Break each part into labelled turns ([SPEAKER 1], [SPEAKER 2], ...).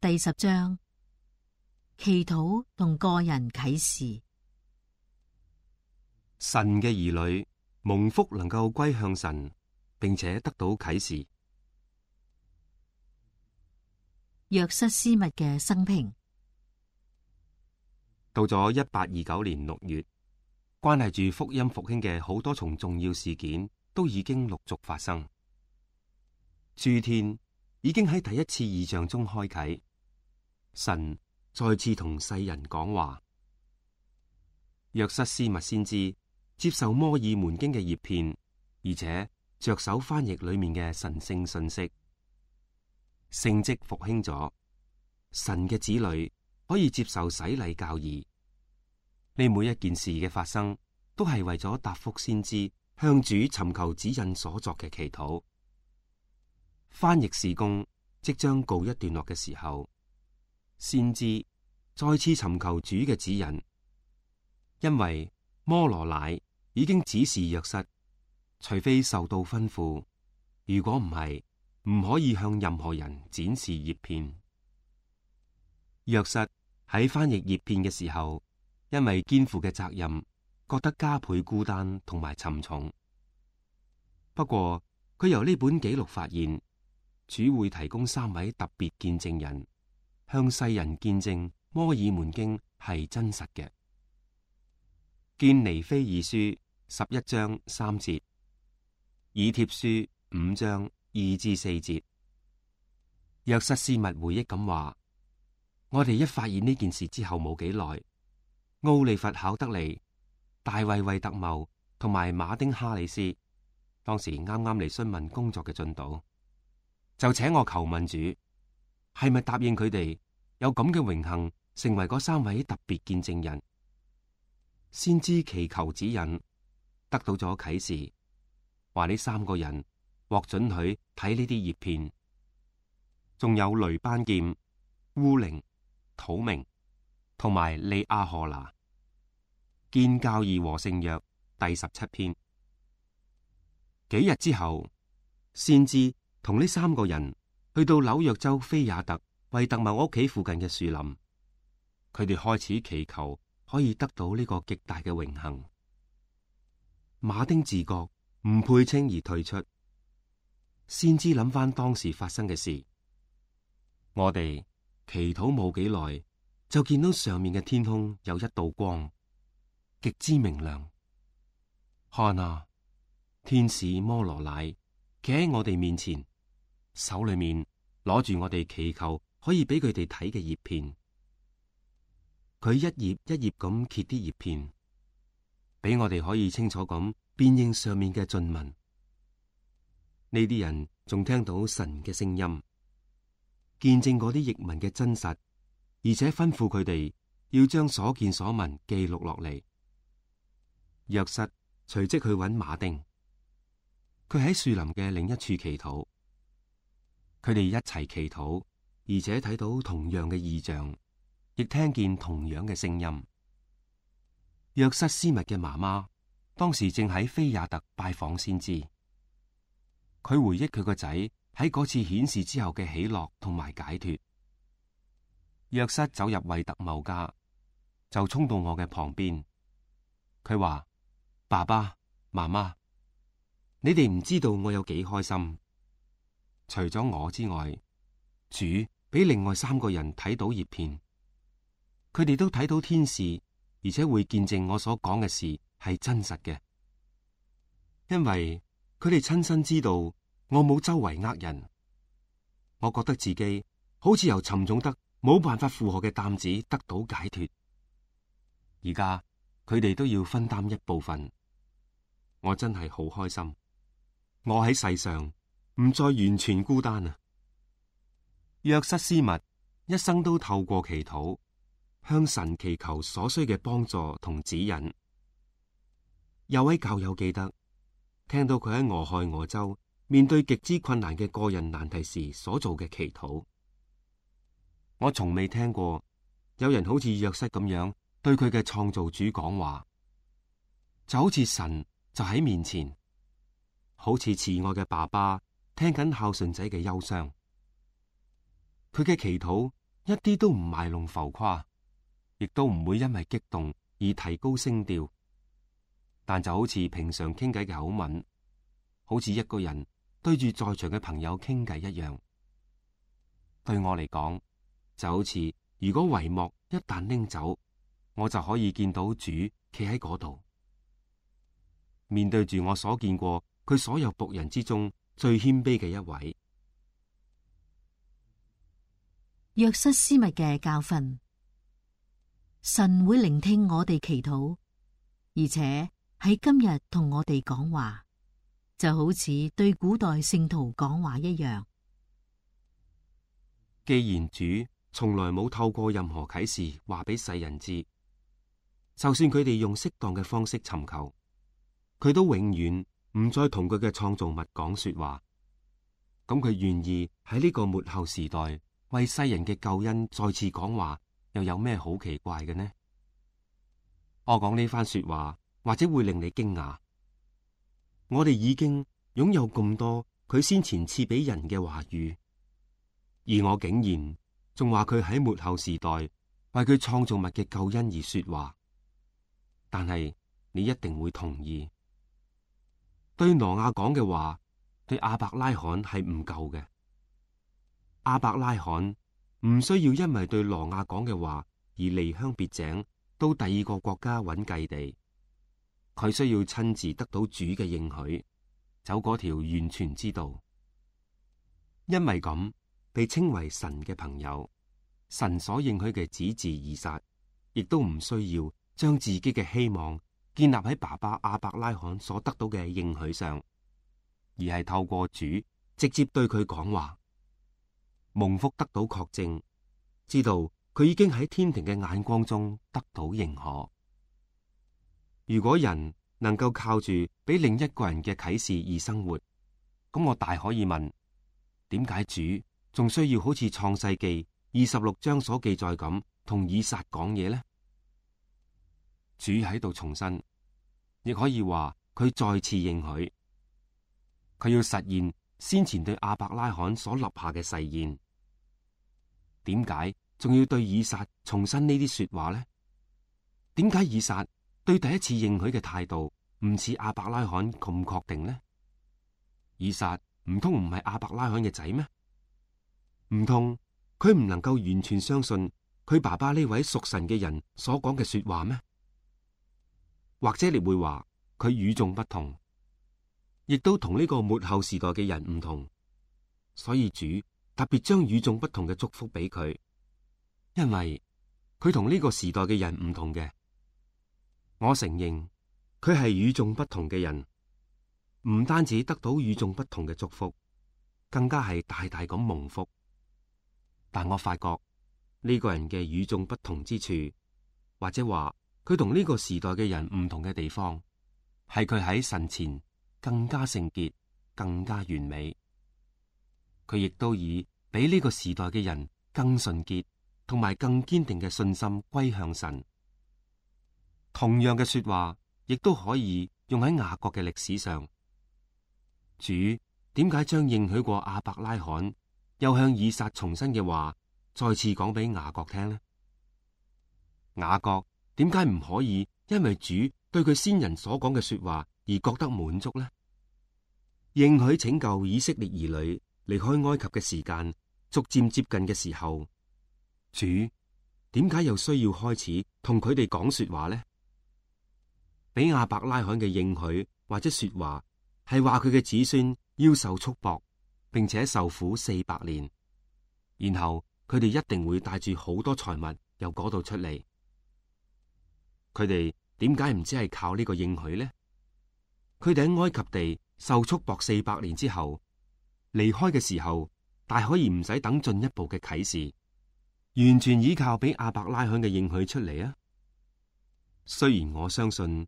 [SPEAKER 1] 第10章，祈禱同個人啟示。
[SPEAKER 2] 神嘅兒女蒙福能夠歸向神，並且得到啟示。
[SPEAKER 1] 約瑟斯密嘅生平。
[SPEAKER 2] 到咗1829年6月，關係住福音復興嘅好多重重要事件都已經陸續發生。諸天已經喺第一次異象中開啟，神再次同世人講話。約瑟斯密先知接受摩爾門經嘅葉片，而且着手翻譯裏面嘅神聖信息。聖蹟復興咗，神嘅子女可以接受洗禮教義。呢每一件事嘅發生，都係為咗答覆先知向主尋求指引所作嘅祈禱。翻譯事工即將告一段落嘅時候，先知再次尋求主嘅指引，因為摩羅乃已經指示約瑟，除非受到吩咐，如果唔係，唔可以向任何人展示葉片。約瑟喺翻譯葉片嘅時候，因為肩負嘅責任，覺得加倍孤單同埋沉重。不過佢由呢本紀錄發現，主會提供3位特別見證人，向世人見證摩爾門經係真實嘅。見尼非爾書11章3節，以帖書5章2至4節。約瑟斯密回憶咁話：我哋一發現呢件事之後冇幾耐，奧利弗考德尼、大衛惠特茂同埋馬丁哈里斯當時啱啱嚟詢問工作嘅進度，就請我求問主，係咪答應佢哋有咁嘅榮幸，成為嗰3位特別見證人。先知祈求指引，得到咗啟示，話呢3個人獲准許睇呢啲葉片，仲有雷班劍、烏靈、土明同埋利亞荷拿。見教義和聖約第17篇。幾日之後，先知同呢3個人去到紐約州菲亞特惠特茂屋企附近嘅樹林，佢哋開始祈求可以得到呢個極大嘅榮幸。馬丁自覺唔配稱而退出，先知諗翻當時發生嘅事。我哋祈禱冇幾耐，就見到上面嘅天空有一道光，極之明亮。看啊，天使摩羅乃企喺我哋面前，手裏面攞住我哋祈求可以俾佢哋睇嘅葉片。佢一頁一頁咁揭啲葉片，俾我哋可以清楚咁辨認上面嘅進文。呢啲人仲聽到神嘅聲音，見證嗰啲譯文嘅真實，而且吩咐佢哋要將所見所聞記錄落嚟。約瑟隨即去揾馬丁，佢喺樹林嘅另一處祈禱。佢哋一齊祈禱，而且睇到同樣嘅異象，亦聽見同樣嘅聲音。約瑟斯密嘅媽媽當時正喺菲亞特拜訪先知，佢回憶佢個仔喺嗰次顯示之後嘅喜樂同埋解脫。約瑟走入惠特茂家，就衝到我嘅旁邊，佢話：爸爸媽媽，你哋唔知道我有幾開心。除咗我之外，主俾另外3個人睇到葉片，佢哋都睇到天使，而且會見證我所講嘅事係真實嘅，因為佢哋親身知道我冇周圍呃人。我覺得自己好似由沉重得冇辦法負荷嘅擔子得到解脫。而家佢哋都要分擔一部分，我真係好開心。我喺世上唔再完全孤單啊！約瑟斯密一生都透過祈禱向神祈求所需嘅幫助同指引。有位教友記得聽到佢喺俄亥俄州面對極之困難嘅個人難題時所做嘅祈禱。我從未聽過有人好似約瑟咁樣對佢嘅創造主講話，就好似神就喺面前，好似慈愛嘅爸爸聽緊孝順仔嘅憂傷。佢嘅祈禱一啲都唔賣弄浮誇，亦都唔會因為激動而提高聲調，但就好似平常傾偈嘅口吻，好似一個人對住在場嘅朋友傾偈一樣。對我嚟講，就好似如果帷幕一旦拎走，我就可以見到主企喺嗰度，面對住我所見過佢所有僕人之中最謙卑嘅一位。
[SPEAKER 1] 約瑟斯密嘅教訓，神會聆聽我哋祈禱，而且喺今日同我哋講話，就好似對古代聖徒講話一樣。
[SPEAKER 2] 既然主從來冇透過任何啟示話俾世人知，就算佢哋用適當嘅方式尋求，佢都永遠唔再同佢嘅創造物講說話。咁佢願意喺呢個末後時代為世人嘅救恩再次講話，又有咩好奇怪嘅呢？我講呢番說話，或者會令你驚訝。我哋已經擁有咁多佢先前賜俾人嘅話語，而我竟然仲話佢喺末後時代為佢創造物嘅救恩而說話。但係你一定會同意，對挪亞講嘅話，對亞伯拉罕係唔夠嘅。亞伯拉罕唔需要因為對挪亞講嘅話而離鄉別井到第二個國家揾繼地，佢需要親自得到主嘅應許，走嗰條完全之道。因為咁被稱為神嘅朋友，神所應許嘅子嗣以撒，亦都唔需要將自己嘅希望建立喺爸爸亞伯拉罕所得到嘅應許上，而係透過主直接對佢講話，蒙福得到確證，知道佢已經喺天庭嘅眼光中得到認可。如果人能夠靠住俾另一個人嘅啟示而生活，咁我大可以問：點解主仲需要好似創世記26章所記載咁同以撒講嘢呢？主喺度重申，亦可以話佢再次應許，佢要實現先前對亞伯拉罕所立下嘅誓言。點解仲要對以撒重申呢啲說話呢？點解以撒對第一次應許嘅態度唔似亞伯拉罕咁確定呢？以撒唔通唔係亞伯拉罕嘅仔咩？唔通佢唔能夠完全相信佢爸爸呢位屬神嘅人所講嘅說話咩？或者你會話佢與眾不同，亦都同呢個末後時代嘅人唔同，所以主特別將與眾不同嘅祝福俾佢，因為佢同呢個時代嘅人唔同嘅。我承認佢係與眾不同嘅人，唔單止得到與眾不同嘅祝福，更加係大大咁蒙福。但我發覺呢個人嘅與眾不同之處，或者話佢同呢個時代嘅人唔同嘅地方，係佢喺神前更加聖潔、更加完美。佢亦都以比呢個時代嘅人更純潔同埋更堅定嘅信心歸向神。同樣嘅說話，亦都可以用喺雅各嘅歷史上。主點解將應許過亞伯拉罕又向以撒重申嘅話再次講俾雅各聽呢？雅各點解唔可以因為主對佢先人所講嘅說話而覺得滿足呢？應許拯救以色列兒女離開埃及嘅時間逐漸接近嘅時候，主點解又需要開始同佢哋講說話呢？俾亞伯拉罕嘅應許或者說話係話佢嘅子孫要受束縛，並且受苦400年，然後佢哋一定會帶住好多財物由嗰度出嚟。佢哋點解唔只係靠呢個應許呢？佢哋喺埃及地受束縛400年之後，離開嘅時候，大可以唔使等進一步嘅啟示，完全依靠俾亞伯拉罕嘅應許出嚟啊！雖然我相信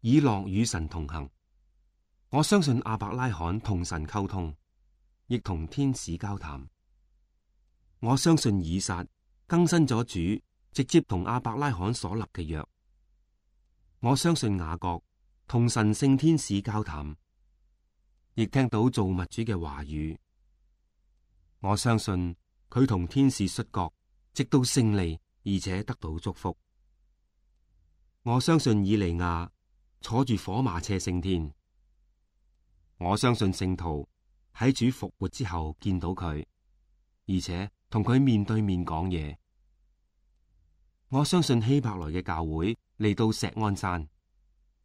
[SPEAKER 2] 以諾與神同行，我相信亞伯拉罕同神溝通，亦同天使交談。我相信以撒更新咗主直接同亞伯拉罕所立嘅約。我相信雅各同神聖天使交談，亦聽到造物主嘅話語。我相信佢同天使摔角，直到勝利，而且得到祝福。我相信以利亞坐住火馬車升天。我相信聖徒喺主復活之後見到佢，而且同佢面對面講嘢。我相信希伯來嘅教會嚟到錫安山，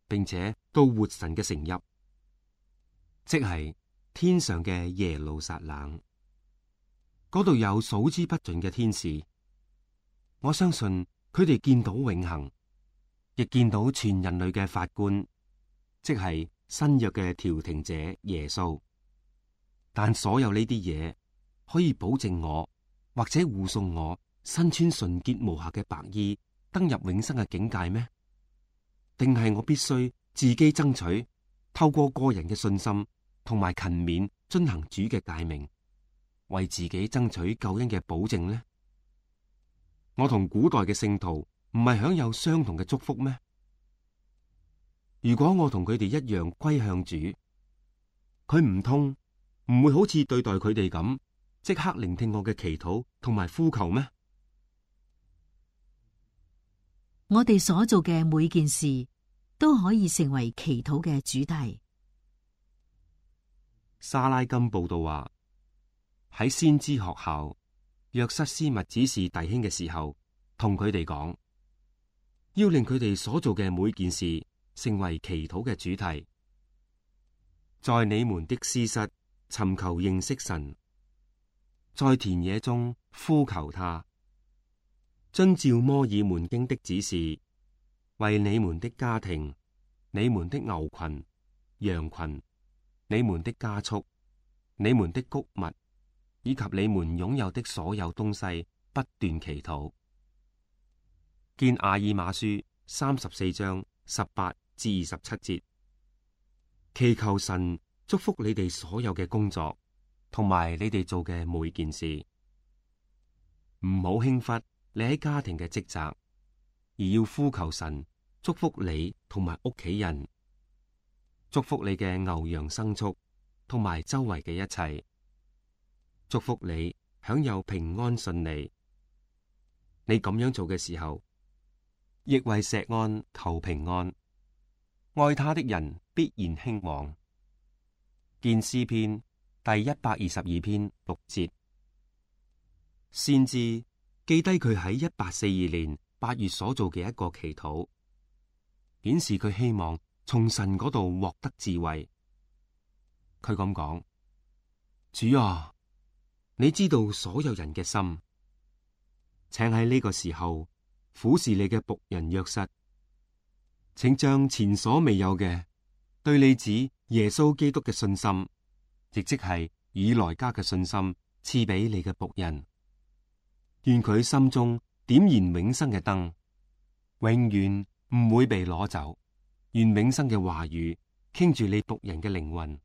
[SPEAKER 2] 並且到活神嘅城邑，即係天上嘅耶路撒冷。嗰度有數之不盡嘅天使。我相信佢哋見到永恆，亦見到全人類嘅法官，即係新約嘅調停者耶穌。但所有呢啲嘢可以保證我，或者護送我身穿純潔無瑕嘅白衣登入永生嘅境界咩？定係我必須自己爭取，透過個人嘅信心同埋勤勉遵行主嘅誡命，為自己爭取救恩嘅保證呢？我同古代嘅聖徒唔係享有相同嘅祝福咩？如果我同佢哋一樣歸向主，佢唔會好似對待佢哋咁，即刻聆聽我嘅祈禱同埋呼求咩？
[SPEAKER 1] 我哋所做嘅每件事都可以成為祈禱嘅主題。
[SPEAKER 2] 沙拉金報道話，喺先知學校，約瑟斯密指示弟兄嘅時候，同佢哋講，要令佢哋所做嘅每件事成為祈禱嘅主題。在你們的私室尋求認識神，在田野中呼求他，遵照摩爾門經的指示，為你們的家庭、你們的牛群、羊群、你們的家畜、你們的穀物，以及你們擁有的所有東西，不斷祈禱。見亞爾馬書34章18至27節，祈求神祝福你哋所有嘅工作，同埋你哋做嘅每件事。唔好輕忽你喺家庭嘅職責，而要呼求神祝福你同埋屋企人，祝福你嘅牛羊牲畜同埋周圍嘅一切，祝福你享有平安順利。你咁樣做嘅時候，亦為錫安求平安，愛他的人必然興旺。見詩篇第122篇6節。先知記低佢喺1842年8月所做嘅一個祈禱，顯示佢希望從神嗰度獲得智慧。佢咁講：主啊，你知道所有人嘅心，請喺呢個時候俯視你嘅僕人約瑟，請將前所未有嘅對你子耶穌基督嘅信心，亦即係以來加嘅信心，賜俾你嘅僕人。願佢心中點燃永生嘅燈，永遠唔會被攞走。願永生嘅話語傾住你僕人嘅靈魂，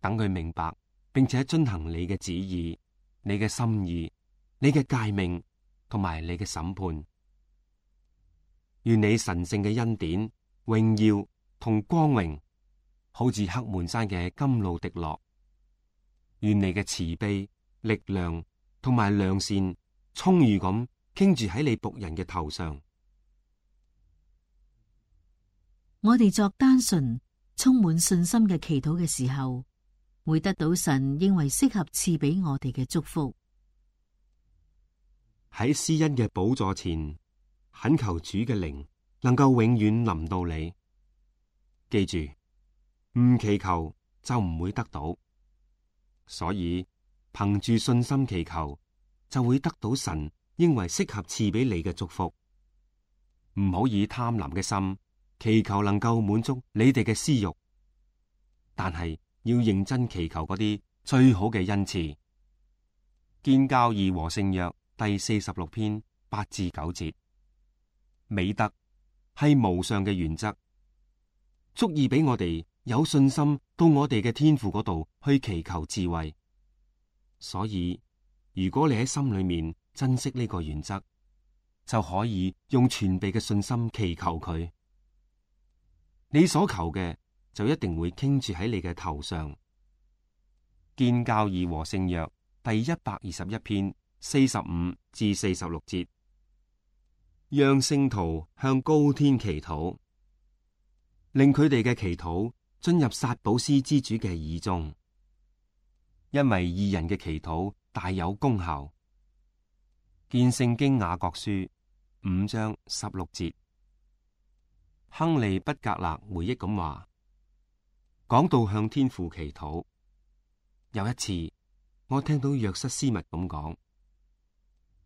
[SPEAKER 2] 等佢明白並且遵行你嘅旨意、你嘅心意、你嘅誡命同埋你嘅審判。願你神聖嘅恩典、榮耀同光榮，好似黑門山嘅甘露滴落。願你嘅慈悲、力量同埋良善充裕咁傾住喺你僕人嘅頭上。
[SPEAKER 1] 我哋作單純、充滿信心嘅祈禱嘅時候，會得到神認為適合賜俾我哋嘅祝福。
[SPEAKER 2] 喺施恩嘅寶座前，懇求主嘅靈能夠永遠臨到你。記住，唔祈求就唔會得到，所以憑住信心祈求，就會得到神認為適合賜俾你嘅祝福。唔好以貪婪嘅心祈求能夠滿足你哋嘅私欲，但係要認真祈求嗰啲最好嘅恩賜。建教義和聖約第46篇8至9節。美德係無上嘅原則，足以俾我哋有信心到我哋嘅天父嗰度去祈求智慧。所以如果你喺心裏面珍惜呢個原則，就可以用全備嘅信心祈求佢。你所求嘅就一定會傾住喺你嘅頭上。建教義和聖約第121篇45至46節，讓聖徒向高天祈禱，令佢哋嘅祈禱進入撒寶斯之主嘅耳中，因為義人嘅祈禱大有功效。見聖經雅各書5章16節。亨利畢格勒回憶咁話，講到向天父祈禱，有一次我聽到約瑟斯密咁講，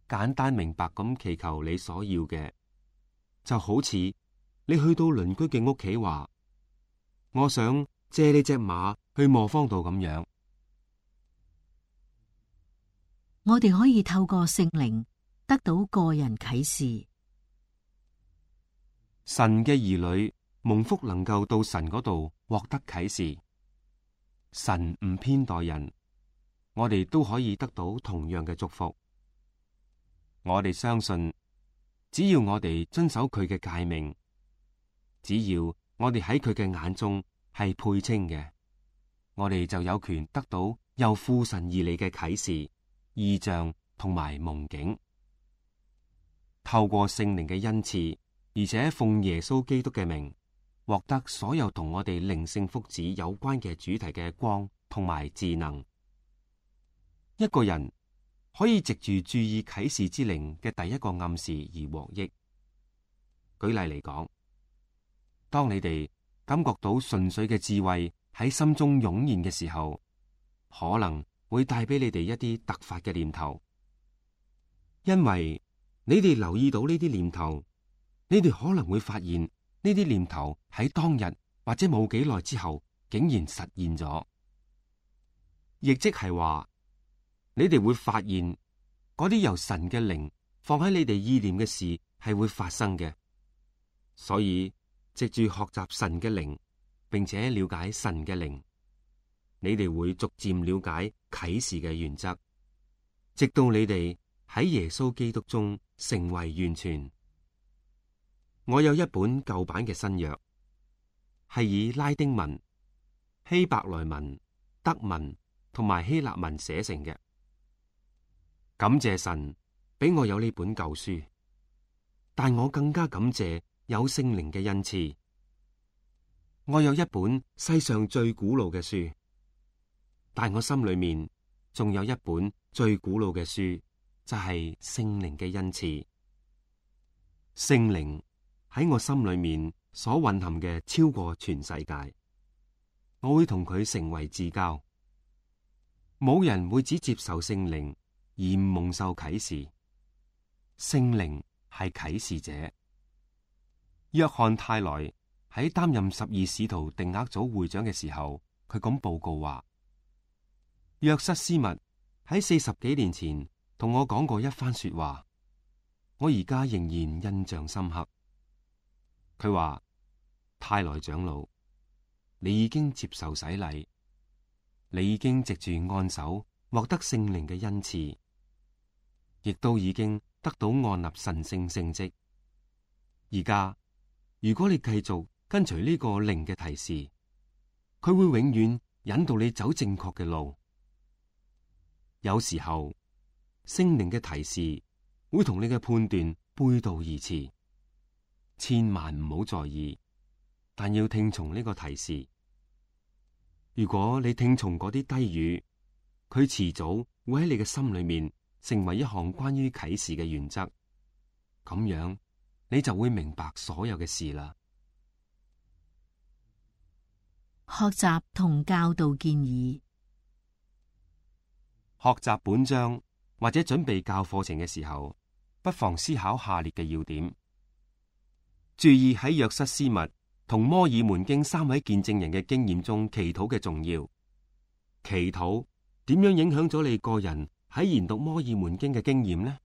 [SPEAKER 2] 簡單明白咁祈求你所要嘅，就好似你去到鄰居嘅屋企話，我想借你隻馬去磨坊度咁樣。
[SPEAKER 1] 我哋可以透過聖靈得到個人啟示。
[SPEAKER 2] 神嘅兒女蒙福能夠到神嗰度獲得啟示，神唔偏待人，我哋都可以得到同樣嘅祝福。我哋相信，只要我哋遵守佢嘅誡命，只要我哋喺佢嘅眼中係配稱嘅，我哋就有權得到由父神而嚟嘅啟示、異象同埋夢境。透過聖靈嘅恩賜，而且奉耶穌基督嘅名，獲得所有同我哋靈性福祉有關嘅主題嘅光同埋智能。一個人可以藉住注意啟示之靈嘅第一個暗示而獲益。舉例嚟講，當你哋感覺到純粹嘅智慧喺心中湧現嘅時候，可能會帶俾你哋一啲突發嘅念頭，因為你哋留意到呢啲念頭，你哋可能會發現呢啲念頭喺當日或者冇幾耐之後竟然實現咗，亦即係話你哋會發現嗰啲由神嘅靈放喺你哋意念嘅事係會發生嘅。所以藉住學習神嘅靈，並且了解神嘅靈，你哋會逐漸了解啟示嘅原則，直到你哋喺耶穌基督中成為完全。我有一本舊版嘅新約，係以拉丁文、希伯來文、德文同埋希臘文寫成嘅。感謝神俾我有呢本舊書，但我更加感謝有聖靈嘅恩賜。我有一本世上最古老嘅書，但我心裏面仲有一本最古老嘅書，就係聖靈嘅恩賜。聖靈喺我心裏面所蘊含嘅超過全世界，我會同佢成為至交。冇人會只接受聖靈而唔蒙受啟示。聖靈係啟示者。約翰泰萊喺擔任12使徒定額組會長嘅時候，佢咁報告話：約瑟斯密喺40幾年前同我講過一番說話，我而家仍然印象深刻。佢話：泰萊長老，你已經接受洗禮，你已經藉住按手獲得聖靈嘅恩賜，亦都已經得到按立神聖聖職。而家如果你繼續跟隨呢個靈嘅提示，佢會永遠引導你走正確嘅路。有時候聖靈嘅提示會同你嘅判斷背道而馳，千萬唔好在意，但要聽從呢個提示。如果你聽從嗰啲低語，佢遲早會喺你嘅心裏面成為一項關於啟示嘅原則，咁樣你就會明白所有嘅事啦。
[SPEAKER 1] 學習同教導建議。
[SPEAKER 2] 學習本章或者準備教課程嘅時候，不妨思考下列嘅要點。注意喺約瑟斯密同摩爾門經3位見證人嘅經驗中，祈禱嘅重要。祈禱點樣影響咗你個人喺研讀摩爾門經嘅經驗呢？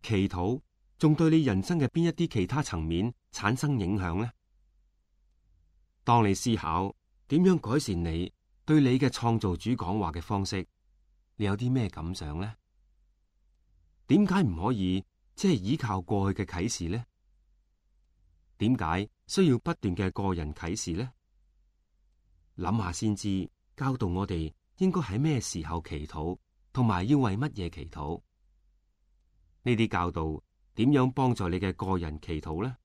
[SPEAKER 2] 祈禱仲對你人生嘅邊一啲其他層面產生影響呢？當你思考點樣改善你對你嘅創造主講話嘅方式，你有啲咩感想呢？點解唔可以即係依靠過去嘅啟示呢？點解需要不斷嘅個人啟示呢？諗下先知教導我哋應該喺咩時候祈禱，同埋要為乜嘢祈禱。呢啲教導點樣幫助你嘅個人祈禱呢？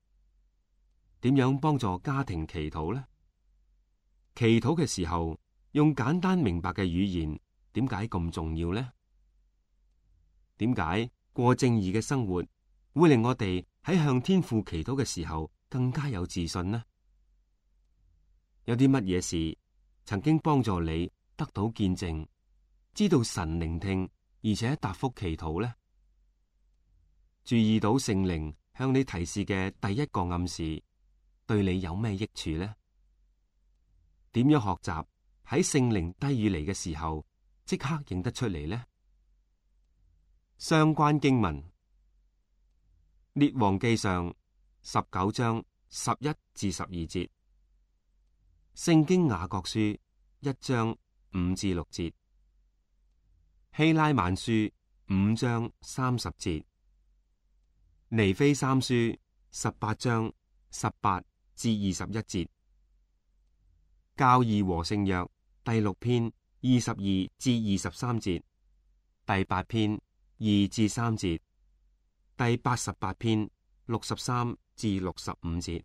[SPEAKER 2] 點樣幫助家庭祈禱呢？祈禱嘅時候用簡單明白嘅語言，點解咁重要呢？點解過正義嘅生活會令我哋喺向天父祈禱嘅時候更加有自信呢？有啲乜嘢事曾經幫助你得到見證，知道神聆聽而且答覆祈禱呢？注意到聖靈向你提示嘅第一個暗示，對你有咩益處呢？點樣學習喺聖靈低語嚟嘅時候，即刻認得出嚟呢？相關經文：列王記上19章11至12節，聖經雅各書1章5至6節，希拉曼書5章30節，尼非三書18章18至21節，教義和聖約第6篇22至23節，第8篇2至3節，第88篇63至65節。